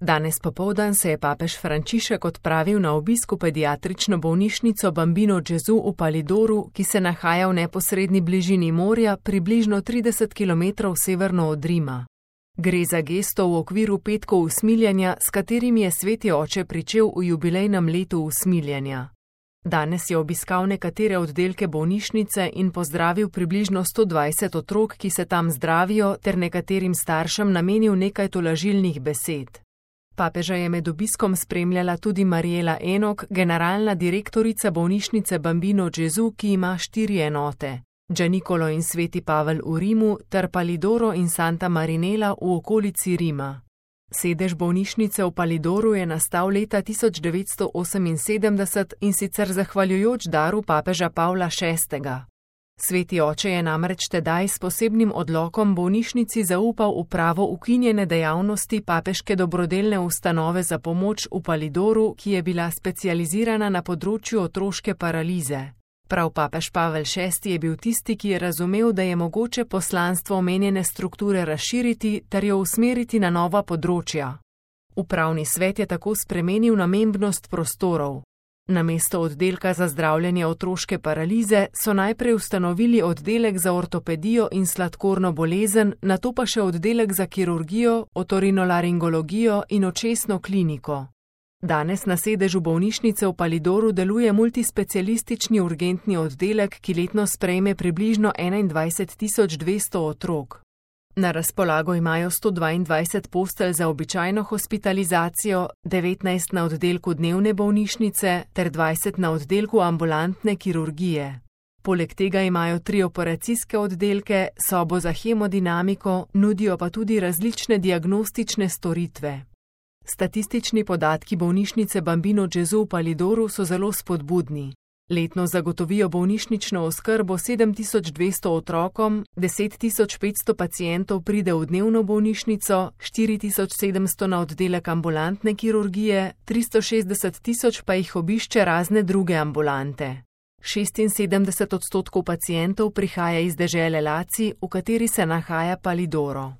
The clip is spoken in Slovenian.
Danes popoldan se je papež Frančišek odpravil na obisk v pediatrično bolnišnico Bambino Gesù v Palidoru, ki se nahaja v neposredni bližini morja, približno 30 km severno od Rima. Gre za gesto v okviru petkov usmiljenja, s katerim je sveti oče pričel v jubilejnem letu usmiljenja. Danes je obiskal nekatere oddelke bolnišnice in pozdravil približno 120 otrok, ki se tam zdravijo, ter nekaterim staršem namenil nekaj tolažilnih besed. Papeža je med obiskom spremljala tudi Mariela Enok, generalna direktorica bolnišnice Bambino Gesù, ki ima 4 enote: Gianicolo in Sveti Pavel v Rimu ter Palidoro in Santa Marinella v okolici Rima. Sedež bolnišnice v Palidoru je nastal leta 1978 in sicer zahvaljujoč daru papeža Pavla VI. Sveti oče je namreč tedaj s posebnim odlokom bolnišnici zaupal upravo ukinjene dejavnosti papeške dobrodelne ustanove za pomoč v Palidoru, ki je bila specializirana na področju otroške paralize. Prav papež Pavel VI je bil tisti, ki je razumel, da je mogoče poslanstvo omenjene strukture razširiti ter jo usmeriti na nova področja. Upravni svet je tako spremenil namembnost prostorov. Namesto oddelka za zdravljenje otroške paralize so najprej ustanovili oddelek za ortopedijo in sladkorno bolezen, nato pa še oddelek za kirurgijo, otorinolaringologijo in očesno kliniko. Danes na sedežu bolnišnice v Palidoru deluje multispecialistični urgentni oddelek, ki letno sprejme približno 21.200 otrok. Na razpolago imajo 122 postelj za običajno hospitalizacijo, 19 na oddelku dnevne bolnišnice ter 20 na oddelku ambulantne kirurgije. Poleg tega imajo 3 operacijske oddelke, sobo za hemodinamiko, nudijo pa tudi različne diagnostične storitve. Statistični podatki bolnišnice Bambino Gesù v Palidoru so zelo spodbudni. Letno zagotovijo bolnišnično oskrbo 7200 otrokom, 10.500 pacientov pride v dnevno bolnišnico, 4700 na oddelek ambulantne kirurgije, 360.000 pa jih obišče razne druge ambulante. 76% pacientov prihaja iz dežele Laci, v kateri se nahaja Palidoro.